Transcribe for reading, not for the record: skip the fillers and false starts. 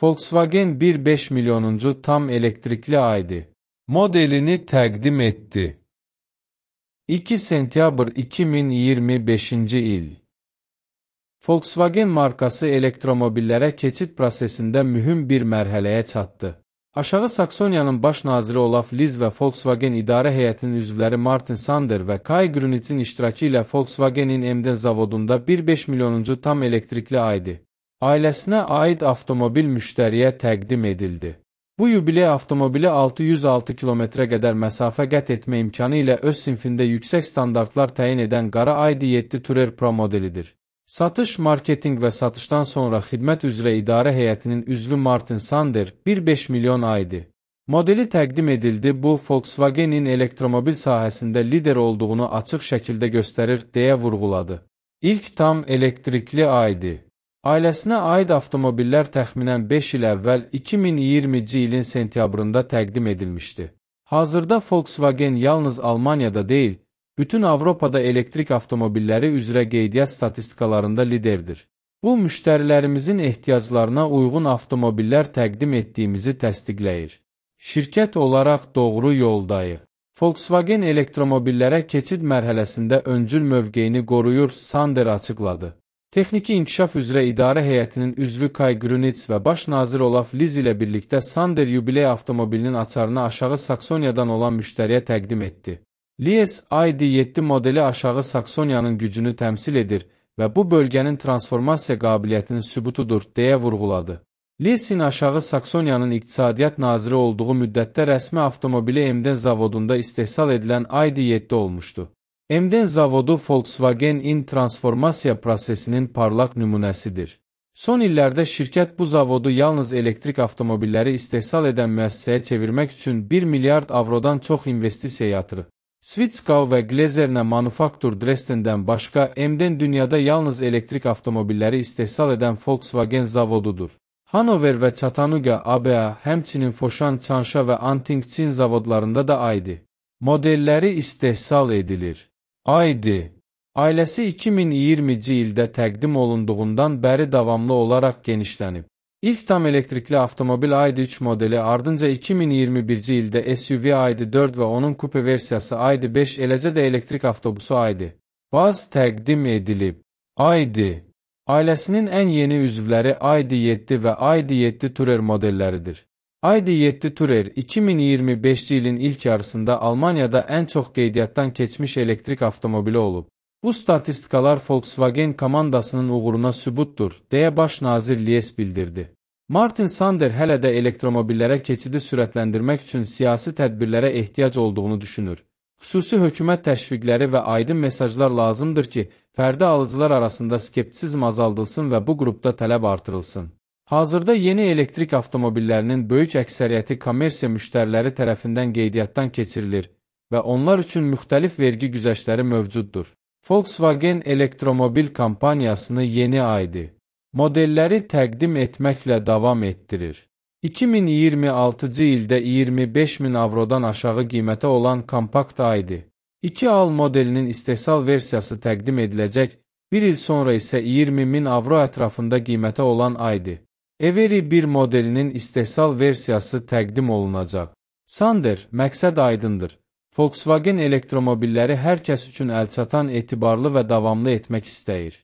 Volkswagen 1.5 milyonuncu tam elektrikli ID modelini təqdim etdi. 2 sentyabr 2025-ci il. Volkswagen markası elektromobillərə keçid prosesində mühüm bir mərhələyə çatdı. Aşağı Saksoniyanın baş naziri Olaf Liz və Volkswagen idarə heyətinin üzvləri Martin Sander və Kai Grünitzin iştirakı ilə Volkswagenin Emden zavodunda 1.5 milyonuncu tam elektrikli ID ailəsinə aid avtomobil müştəriyə təqdim edildi. Bu yubiley avtomobili 606 kilometrə qədər məsafə qət etmə imkanı ilə öz sinfində yüksək standartlar təyin edən qara ID.7 Tourer Pro modelidir. Satış, marketinq və satışdan sonra xidmət üzrə idarə heyətinin üzvü Martin Sander 1.5 milyon ID modeli təqdim edildi. Bu, Volkswagenin elektromobil sahəsində lider olduğunu açıq şəkildə göstərir, deyə vurğuladı. İlk tam elektrikli ID ailəsinə aid avtomobillər təxminən 5 il əvvəl 2020-ci ilin sentyabrında təqdim edilmişdi. Hazırda Volkswagen yalnız Almaniyada deyil, bütün Avropada elektrik avtomobilləri üzrə qeydiyyat statistikalarında liderdir. Bu, müştərilərimizin ehtiyaclarına uyğun avtomobillər təqdim etdiyimizi təsdiqləyir. Şirkət olaraq doğru yoldayıq. Volkswagen elektromobillərə keçid mərhələsində öncül mövqeyini qoruyur, Sander açıqladı. Texniki inkişaf üzrə idarə heyətinin üzvü Kai Grünitz və baş nazir Olaf Liz ilə birlikdə Sander yubiley avtomobilinin açarını aşağı Saksoniyadan olan müştəriyə təqdim etdi. Lies ID.7 modeli aşağı Saksoniyanın gücünü təmsil edir və bu bölgənin transformasiya qabiliyyətinin sübutudur, deyə vurğuladı. Liesin aşağı Saksoniyanın iqtisadiyyat naziri olduğu müddətdə rəsmi avtomobili Emden zavodunda istehsal edilən ID.7 olmuşdu. Emden zavodu Volkswagen-in transformasiya prosesinin parlaq nümunəsidir. Son illərdə şirkət bu zavodu yalnız elektrik avtomobilləri istehsal edən müəssisəyə çevirmək üçün 1 milyard avrodan çox investisiya yatırıb. Switchkau və Glezerne Manufaktur Dresden'dən başqa Emden dünyada yalnız elektrik avtomobilləri istehsal edən Volkswagen zavodudur. Hanover və Chattanooga, ABA, həmçinin Foshan, Changsha və Anting Çin zavodlarında da ID modelləri istehsal edilir. ID ailəsi 2020-ci ildə təqdim olunduğundan bəri davamlı olaraq genişlənib. İlk tam elektrikli avtomobil ID.3 modeli ardınca 2021-ci ildə SUV ID.4 və onun kupe versiyası ID.5 eləcə də elektrik avtobusu ID.Baz təqdim edilib. ID ailəsinin ən yeni üzvləri ID.7 və ID.7 Tourer modelləridir. ID.7 Tourer 2025-ci ilin ilk yarısında Almaniyada ən çox qeydiyyatdan keçmiş elektrik avtomobili olub. Bu statistikalar Volkswagen komandasının uğuruna sübutdur, deyə baş nazir Lies bildirdi. Martin Sander hələ də elektromobillərə keçidi sürətləndirmək üçün siyasi tədbirlərə ehtiyac olduğunu düşünür. Xüsusi hökumət təşviqləri və aydın mesajlar lazımdır ki, fərdi alıcılar arasında skeptisizm azaldılsın və bu qrupda tələb artırılsın. Hazırda yeni elektrik avtomobillərinin böyük əksəriyyəti kommersiya müştəriləri tərəfindən qeydiyyatdan keçirilir və onlar üçün müxtəlif vergi güzəştləri mövcuddur. Volkswagen elektromobil kampaniyasını yeni ID modelləri təqdim etməklə davam etdirir. 2026-cı ildə 25.000 avrodan aşağı qiymətə olan kompakt ID 2Al modelinin istehsal versiyası təqdim ediləcək, bir il sonra isə 20.000 avro ətrafında qiymətə olan ID Every 1 modelinin istehsal versiyası təqdim olunacaq. Sander, məqsəd aydındır. Volkswagen elektromobilləri hər kəs üçün əlçatan, etibarlı və davamlı etmək istəyir.